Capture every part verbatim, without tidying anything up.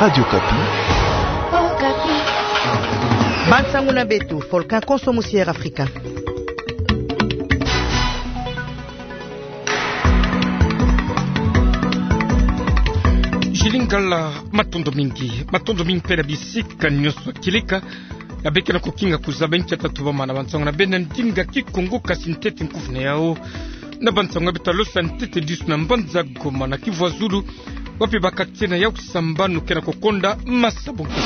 Radio Okapi. Bansangu na beto, Volcan Konso musi Air Africa. Julie Ngala, matondo mingi. Matondo mingi mpe na bisika nyonso ya kieleka ya beke na kokinga kuzaba nki ya tatubama na bansangu na beno na ndinga Kikongo, kasi ntete nkufi na yau na bansangu ya beto ya losa ntete disu na mbanza Goma na Kivu ya Zulu, wapi ba quartier na yau sambanu ke na kokonda masa bo nkete.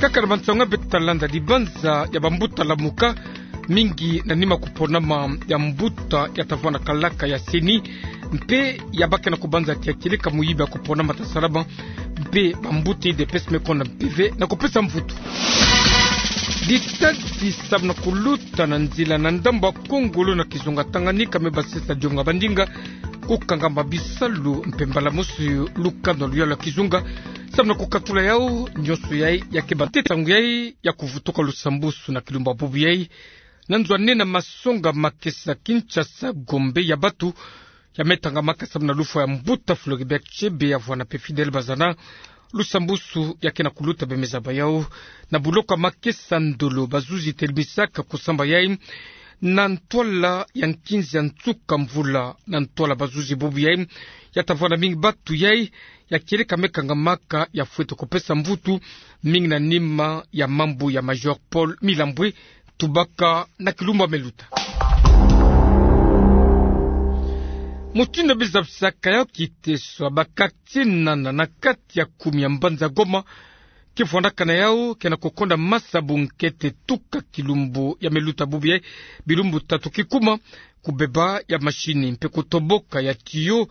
Kaka na bansangu ya beto, talanda dibanza ya bambuta Lamuka, mingi na nima kuponama ya mbuta ya tavwanda kalaka ya CENI, mpe ya ba ke na kubanza ti ya kieleka muyibi ya kuponama ta salama, mpe bambuta UDPS me konda mpeve na kupesa mvutu. Ditadi samu na kuluta na nzila na ndambu ya Kongo lo na kizunga Tanganyika me basisa dionga bandinga kukangama bisalu mpe mbala mosi lukanu ya luyalu ya kizunga. Samu na kukatula yau nyonso yai, ya ke bate ntangu yai ya kuvutuka lusambusu na kilumbu ya bubu yai. Na nzo ya nene, masonga makesa Kinshasa, Gombe, ya batu ya me tangamaka samu na lufwa ya mbuta Floribert Chebeya, ya vwanda mpe Fidèle Bazana. Lusambusu ya ke na kuluta, be me zaba yau na buloko ya makesa Ndolo. Bazuzi telemisaka kusamba yai na ntwala ya nkinzi ya nsuka mvula. Na ntwala bazuzi, bubu yai ya tavwanda mingi batu yai ya kieleka me kangamaka, ya fwete kupesa mvutu mingi na nima ya mambu ya Major Paul Milambwe. Tubaka na kilumbu ya me luta. Mutindu ya bizabisaka yau kiteso, ba quartier nana na kati ya kumi ya mbanza Goma, ke vwandaka na yau ke na kokonda masa bo nkete tuka kilumbu ya me luta, bubu yai bilumbu tatu kikuma. Kubeba ya mashini mpe kutoboka ya tiyo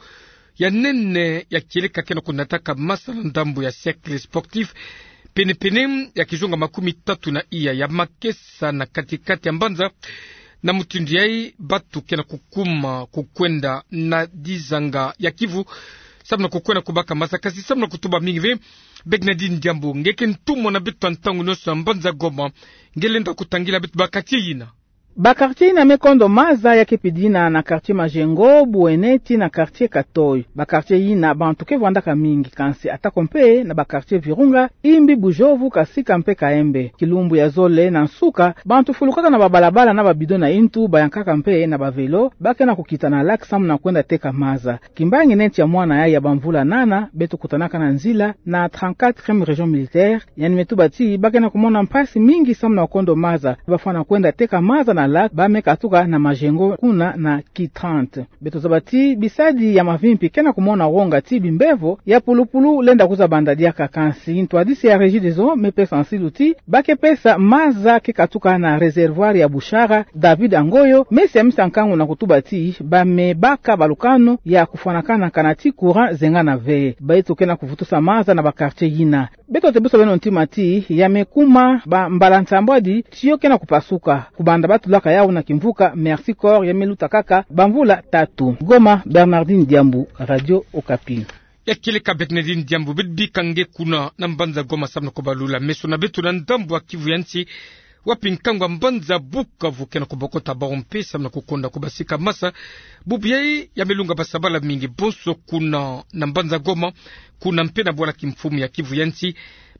ya nene ya kieleka ke na kunataka masa na ndambu ya Cercle Sportif, penepene ya kizunga makumi tatu na iya ya makesa na kati-kati ya mbanza. Na mutindu yai, batu ke na kukuma kukwenda na dizanga ya Kivu samu na kukwenda kubaka masa, kasi samu na kutuba mingi ve, Bernardine Diambu, nge ke ntumwa na beto ya ntangu nyonso ya mbanza Goma, nge lenda kutangila beto ba quartier yina. Ba quartier yina me kondo maza ya ke pidina na quartier Majengo, Bouene tii na quartier Katoy. Ba quartier yina bantu ke vwandaka mingi, kansi atako mpe na ba quartier Virunga, Imbi, Bujovu, Kasika mpe Kaembe. Kilumbu ya zole na nsuka, bantu fulukaka na ba balabala na ba bidon na intu, bayankaka mpe na ba velo, ba ke na kukita na lac samu na kwenda teka maza. Kimbangi neti ya mwana yai ya bamvula nana, beto kutanaka na nzila na trente-quatrième région militaire, yandi me tuba ti ba ke na kumona mpasi mingi samu na kondo maza. Ba fwana kwenda teka maza na lac, ba me katuka na Majengo kuna na ki trente. Beto zaba ti bisadi ya mavimpi ke na kumona wonga ti bimbevo ya pulupulu lenda kwiza banda diaka, kansi ntwadisi ya Regideso me pesa nsilu ti ba ke pesa maza ke katuka na réservoir ya Bushara. David Angoyo me siamisa nkangu na kutuba ti ba me baka balukanu ya kufwanakana kana ti courant zengana ve. Beto ke na kuvutusa maza na ba quartier yina. Beto te busa beno ntima ti ya me kuma ba mbala nsambwadi tiyo ke na kupasuka, kubanda ba tulaka yau na kimvuka Mercy Corps ya me luta kaka bamvula tatu. Goma, Bernardine Diambu, Radio Okapi. Ya kieleka Bernardine Diambu, beto bika nge kuna na mbanza Goma samu na kubalula meso na beto na ndambu ya Kivu ya nsi, wapi nkangu ya mbanza Bukavu ke na kubokota bawu mpe samu na kukonda kubasika masa. Bubu yai ya me lunga basabala mingi bonso kuna na mbanza Goma, kuna mpe na bwala kimfumu ya Kivu ya nsi.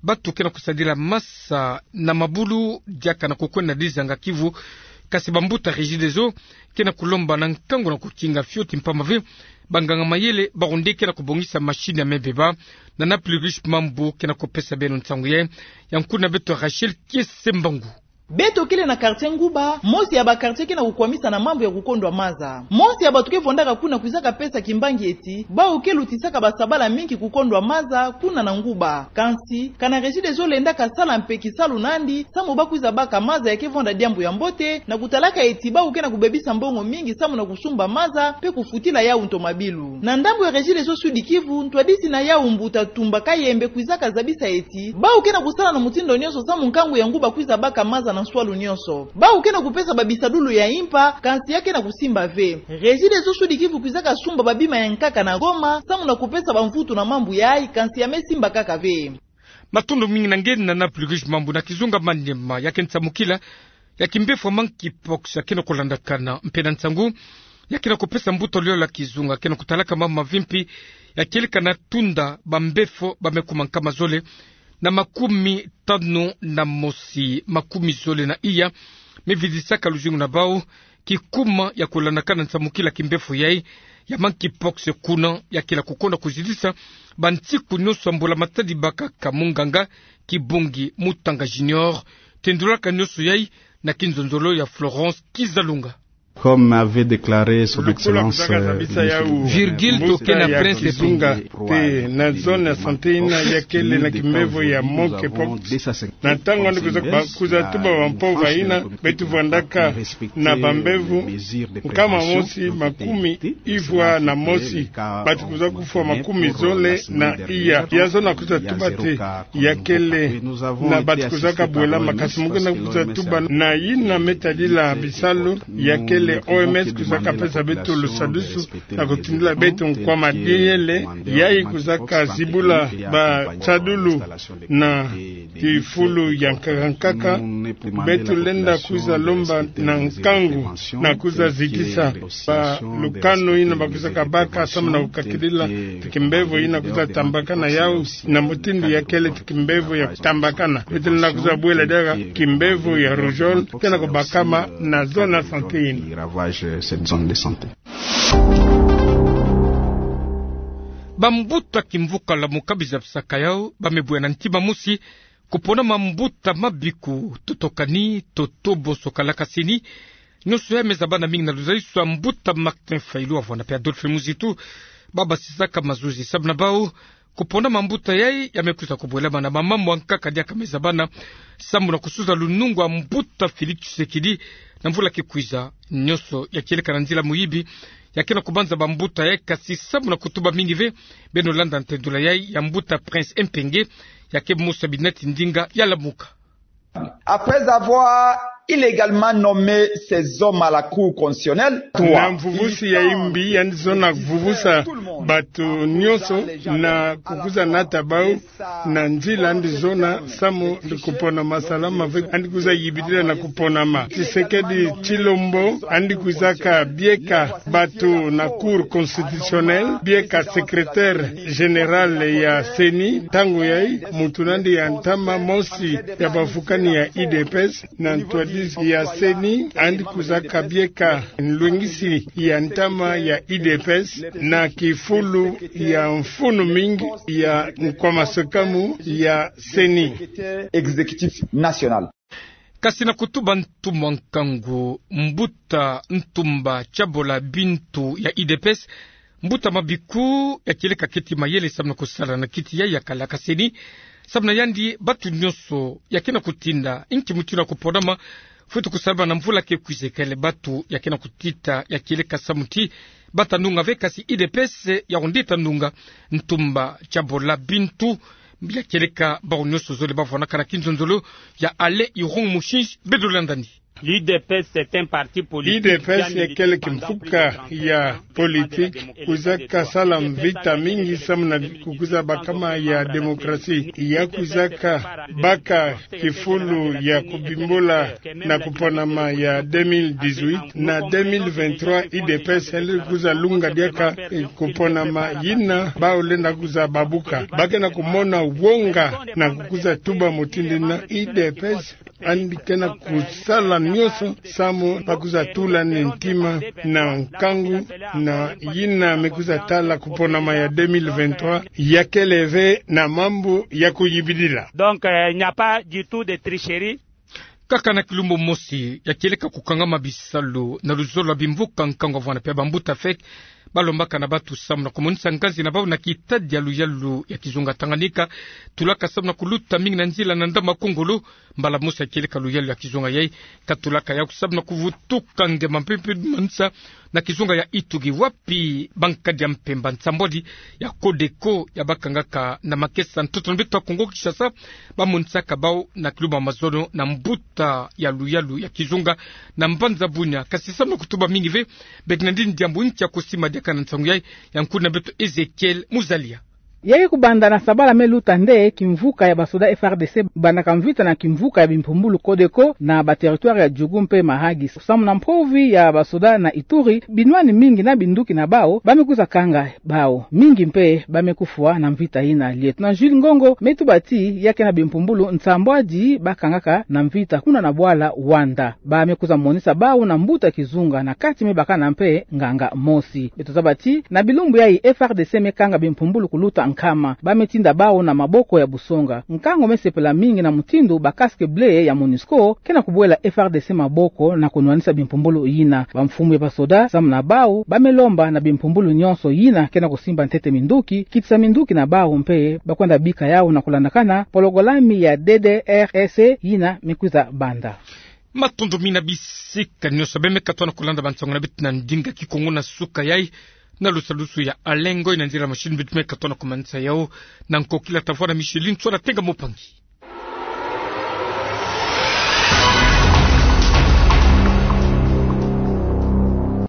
Batu ke na kusadila masa na mabulu diaka na kukwenda na dizanga Kivu, kasi bambuta Regideso ke na kulomba na nkangu na kukinga fioti mpamba ve banganga mayele bawu nde ke na kubongisa mashini ya me beba. Na Nana Plurish Mambu ke na kupesa beno nsangu yai, ya nkuna beto Rachel Kiese Mbangu. Beto kele na quartier Nguba, mosi ya ba quartier ke na kukwamisa na mambu ya kukondwa maza. Mosi ya batu ke vwandaka kuna kwizaka pesa kimbangi eti bawu ke lutisaka basabala mingi kukondwa maza kuna na Nguba. Kansi, kana Regideso lendaka sala mpe kisalu na yandi, samu ba kwiza baka maza ya ke vwanda diambu ya mbote, na kutalaka eti bawu ke na kubebisa mbongo mingi samu na kusumba maza, mpe kufutila yau ntomabilu. Na ndambu ya Regideso Sud-Kivu, ntwadisi na yau mbuta Tumba Kayembe kwizaka zabisa eti bawu ke na kusala na mutindu nyonso samu nkangu ya Nguba kwiza baka maza na nswalu nyonso. Bawu ke na kupesa babisadulu ya impa, kansi ya ke na kusimba ve. Regideso Sud-Kivu kwizaka sumba babima ya nkaka na Goma, samu na kupesa bamvutu na mambu yai, kansi ya me simba kaka ve. Matondo mingi na nge Nana Plurish Mambu. Na kizunga Maniema, ya ke nsamukila ya kimbefo ya monkeypox ya ke na kulandakana, mpe na nsangu Ya ke na kupesa mbuta luyalo ya kizunga, ke na kutalaka mambu mavimpi, ya kieleka na tunda bambefo ba me kuma nkama zole na makumi tanu na mosi, makumi zole na iya, me vidisaka luzingu na bau, kikuma ya kulanakana nsamukila kimbefo yai, ya monkeypox kuna, ya ke na kukonda kuzidisa bansiku nionso ya mbula-matadi bakaka. Munganga Kibongi Mutanga Junior tendulaka nionso yai na kinzonzolo ya Florence Kizalunga. Comme avait déclaré son excellence, euh, Virgile Tokena Prince Kizunga, te na zone ya santé ina ya kele na kimbevo ya monkeypox. Na ntangu andi kwiza ba-, kwiza tuba bampova ina, beto vwandaka na bambevo nkama mosi makumi ivwa na mosi, bati kwiza kufwa makumi zole na iya. Ya zona kwiza tuba te ya kele na bati kwizaka bwela makasi, mu ke na kwiza tuba na ina me tadila bisalu, ya kele O M S kwizaka pesa beto lusadusu na kutindila beto nkwa madiele, yayi kwizaka zibula basadulu na kifulu ya nkaka nkaka. Beto lenda kwiza lomba na nkangu na kwiza zikisa balukanu ina bakwizaka baka samu na kukakidila ti kimbevo ina kwiza tambakana yau, na mutindu ya kele ti kimbevo ya tambakana. Beto lenda kwiza bwela diaka kimbevo ya rougeole ke na kubakama na zone ya santé ina. Bambuta kimvuka Lamuka biza bisaka yau ba me bwe na ntima mosi kupona mambuta mabiku, toto kani, toto bonso kalakaseni. Nionso yai me zabana mingi na luzalisu ya mbuta Martin Fayulu, wavwanda pe Adolphe Muzitu, ba basisaka mazuzi samu na bau kupona mambuta yai ya me kwiza kubwelama na mamambu ya nkaka diaka me zabana samu na kusuza lunungu ya mbuta Félix Tshisekedi na mvula ke kwiza. Nionso ya kieleka na nzila muyibi ya ke na kubanza bambuta yai, kasi samu na kutuba mingi ve, beno landa ntendula yai ya mbuta Prince Mpenge, ya ke mosi ya binati ndinga ya Lamuka. Après avoir illégalement nommé ces hommes à la Cour constitutionnelle, na mvuvusi ya imbi, yandi zona vuvusa bato nionso na kukwiza nata bau na nzila andi zona samu na kuponama salama ve, andi kwiza yibidila na kuponama. Tshisekedi Tshilombo andi kwizaka bieka bato na Cour constitutionnelle, bieka secrétaire général ya CENI. Ntangu yai, muntu nandi ya ntama mosi ya bavukani ya U D P S na ntwadisi ya CENI, andi kwizaka bieka nlwengisi ya ntama ya U D P S na kifulu ya mfunu mingi ya nkwa masekamu ya CENI. Exécutif national. Kasi na kutuba ntumwa nkangu, mbuta Ntumba Tshabola Bintu ya U D P S, mbuta mabiku ya kieleka keti mayele samu na kusala na kiti yai ya kalakaseni. Samu na yandi, bato nionso ya ke na kutinda nki mutindu ya kuponama, fweti kusalama na mvula ke kwiza, kele bato ya ke na kutita ya kieleka samu ti bata nunga ve, kasi U D P S ya onde ta nunga. Ntumba Tshabola Bintu ya kieleka bau nionso zole bavwanaka na kinzonzolo ya Allée Irung Mushinshi. Beto landani. U D P S, c'est un parti politique. U D P S ya kele kimfuka ya politique kwizaka sala mvita mingi samu na kukwiza bakama ya démocratie. Ya kwizaka baka kifulu ya kubimbula na kuponama ya deux mille dix-huit na deux mille vingt-trois. U D P S yandi kwiza lunga diaka, eh, kuponama yina bau lenda kwiza babuka. Ba ke na kumona wonga na kukwiza tuba mutindu yina. U D P S yandi ke na kusala nionso samu ba kwiza tula ntima na nkangu na yina me kwiza tala kuponama ya deux mille vingt-trois, ya kele ve na mambu ya kuyibidila. Donc, euh, il n'y a pas du tout de tricherie. Kaka na kilumbu mosi, ya kieleka kukangama bisalu na luzolo ya bimvuka nkangu, wavwanda pe bambuta FEC balombaka na bato samu na kumonisa nganzi na bau na kitadi ya luyalu ya kizunga Tanganyika, tulaka samu na kuluta mingi na nzila na ndambu ya Kongo. Mbala mosi ya kieleka luyalu ya kizunga yai katulaka yau samu na kuvutuka nge mampepe manisa na kizunga ya Itugi, wapi bankadi ya mpemba nsambwadi ya CODECO ya bakangaka na makesa ntoto na beto ya Kongo Kinshasa bamonisaka bau na kilumbu ya mazono na mbuta ya luyalu ya kizunga na mbanza Bunia. Kasi samu na kutuba mingi ve, beke na ndi diambu nki ya kusima diaka na nsangu yai, ya nkuna beto Ezekiel Muzalia. Yayi kubanda na sabala me luta nde kimvuka ya basoda F R D C bandaka mvita na kimvuka ya bimpumbulu Codeco na ba territoire ya Djugu mpe Mahagi. Samu na mpovi ya basoda na Ituri, binwani mingi na binduki na bawu ba me kwiza kanga bawu. Mingi mpe ba me kufwa na mvita yina. Lieutenant Jules Ngongo me tuba ti ya ke na bimpumbulu nsambwadi ba kangaka na mvita kuna na bwala Wanda. Ba me kwiza monisa bawu na mbuta kizunga na kati me bakana mpe nganga mosi. Beto zaba ti na bilumbu yayi F R D C me kanga bimpumbulu kuluta nkama. Ba me tinda bawu na maboko ya busonga. Nkango me sepela mingi na mutindu ba casque bleu ya MONUSCO ke na kubwela F R D C maboko na kunwanisa bimpumbulu yina. Bamfumu ya basoda samu na bawu ba me lomba na bimpumbulu nyonso yina ke na kusimba ntete minduki, kitisa minduki na bawu mpe ba kwenda bika yawu na kulandakana pologalami ya D D R S yina me kwiza banda. Matondo mingi na bisika nyonso beno me katuka na kulanda bansoni na beto na ndinga Kikongo na suka yayi. Na lusalusu ya Alengo ina ndira machine beto me katuka na kumanisa yawu. Na nkokila tafwa na Micheline Tswana Tenga Mopangi.